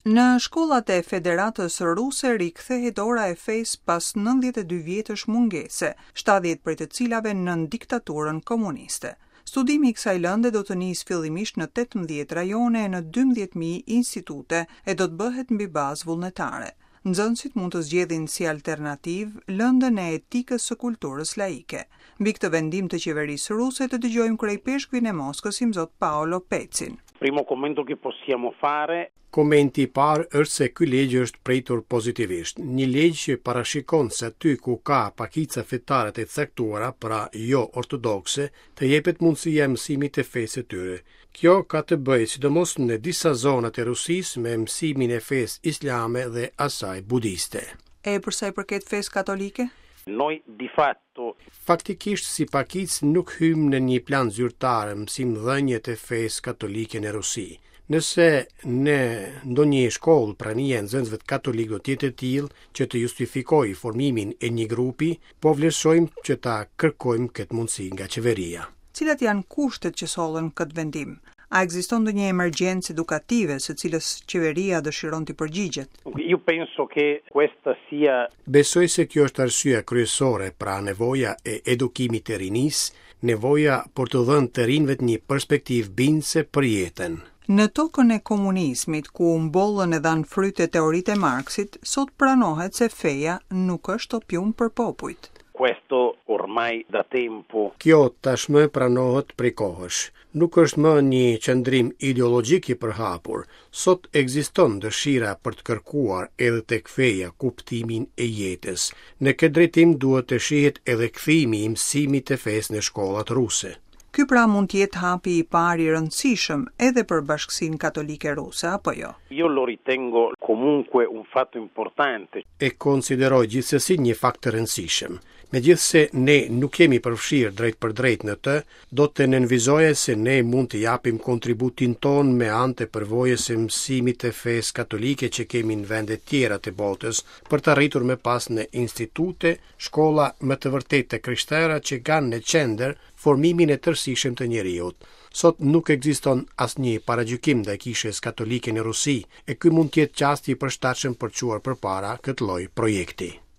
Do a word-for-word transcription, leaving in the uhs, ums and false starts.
Në shkollat e Federatës Ruse rikthehet ora e fesë pas nëntëdhjetë e dy vjetësh mungese, shtatëdhjetë prej të cilave nën diktaturën komuniste. Studimi i kësaj lënde do të nisë fillimisht në tetëmbëdhjetë rajone e në dymbëdhjetë mijë institute e do të bëhet mbi bazë vullnetare. Nxënësit mund të zgjedhin si alternativë lëndën e etikës së kulturës laike. Mbi këtë vendim të qeverisë ruse të dëgjojmë kryeipeshkvin e Moskës, Imzot Paolo Pecin. Primo commento che possiamo fare. Komenti i parë është se ky ligj është pritur pozitivisht. Një ligj që parashikon se aty ku ka pakica fetare të caktuara, pra jo ortodokse, të jepet mundësia e mësimit të fesë së tyre. Kjo ka të bëjë sidomos në disa zona të Rusisë me mësimin e fesë islame dhe asaj budiste. E për sa i përket fesë katolike? Noi di fatto Faktikisht si pakicë nuk hyjmë në një plan zyrtar mësimdhënie të fesë katolike në Rusi. Nëse në ndonjë shkollë prania e nxënësve katolik do të jetë e tillë që të justifikojë formimin e një grupi, po vlerësojmë që ta kërkojmë këtë mundësi nga qeveria. Cilat janë kushtet që sollën këtë vendim? A ekziston ndonjë emergjencë edukative së cilës qeveria dëshiron t'i përgjigjet? Io penso che questa sia Besoj se kjo është arsyeja kryesore, pra nevoja e edukimit të rinisë, nevoja për të dhënë të rinjve një perspektivë bindëse për jetën. Në tokën e komunizmit, ku mbollën e dhanë frytet teoritë e Marksit, sot pranohet se feja nuk është opium për popujt. Questo ormai da tempo. Kjo tashmë pranohet prej kohësh. Nuk është më një qëndrim ideologjik i përhapur. Sot ekziston dëshira për të kërkuar edhe tek feja kuptimin e jetës. Në këtë drejtim duhet të shihet edhe kthimi i mësimit të fesë në shkollat ruse. Ky pra mund të jetë hapi i parë i rëndësishëm edhe për bashkësinë katolike ruse, apo jo? Io lo ritengo comunque un fatto importante. E konsideroj gjithsesi një fakt të rëndësishëm. Megjithëse ne nuk jemi përfshirë drejt për drejt në të, do të nënvizoja se ne mund të japim kontributin ton me anë të përvojës së mësimit të fesë katolike që kemi në vende tjera të botës, për të arritur më pas në institute, shkolla më të vërtetë të krishtera që kanë në qendër formimin e tërësishëm të njeriut. Sot nuk ekziston asnjë paragjykim ndaj kishës katolike në Rusi, e ky mund të jetë çasti i përshtatshëm për çuar përpara këtë lloj projekti.